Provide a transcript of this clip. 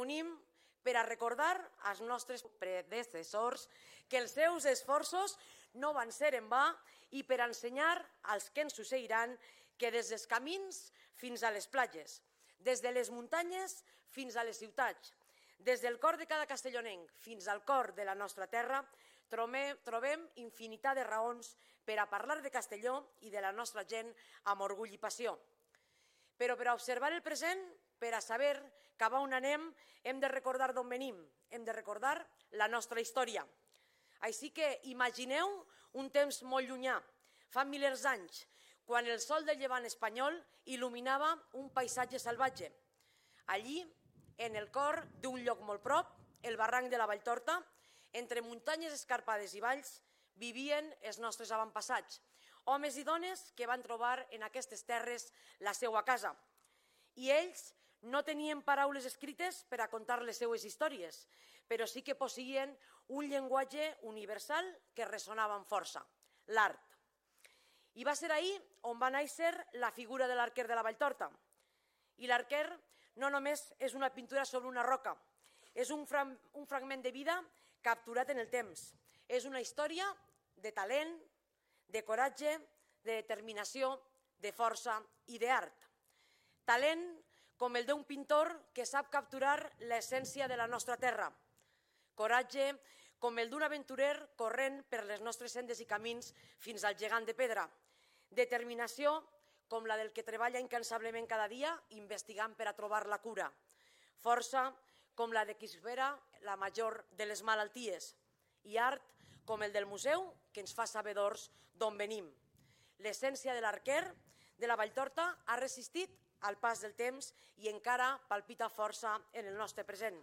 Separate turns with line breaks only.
reunim per a recordar als nostres predecessors que els seus esforços no van ser en va i per a ensenyar als que ens succeiran que des dels camins fins a les platges, des de les muntanyes fins a les ciutats, des del cor de cada castellonenc fins al cor de la nostra terra, trobem infinitat de raons per a parlar de Castelló i de la nostra gent amb orgull i passió. Però per a observar el present, per a saber cap a on anem, hem de recordar d'on venim, hem de recordar la nostra història. Així que imagineu un temps molt llunyà, fa milers d'anys, quan el sol del llevant espanyol il·luminava un paisatge salvatge. Allí, en el cor d'un lloc molt prop, el barranc de la Valltorta, entre muntanyes escarpades i valls, vivien els nostres avantpassats, homes i dones que van trobar en aquestes terres la seva casa. I ells no tenien paraules escrites per a contar les seues històries, però sí que posseïen un llenguatge universal que ressonava amb força, l'art. I va ser ahir on va néixer la figura de l'arquer de la Valltorta. I l'arquer no només és una pintura sobre una roca, és un fragment de vida capturat en el temps. És una història de talent, de coratge, de determinació, de força i d'art. Talent com el d'un pintor que sap capturar l'essència de la nostra terra. Coratge com el d'un aventurer corrent per les nostres sendes i camins fins al gegant de pedra. Determinació com la del que treballa incansablement cada dia investigant per a trobar la cura. Força com la de qui supera la major de les malalties. I art com el del museu que ens fa sabedors d'on venim. L'essència de l'arquer de la Valltorta ha resistit al pas del temps i encara palpita força en el nostre present.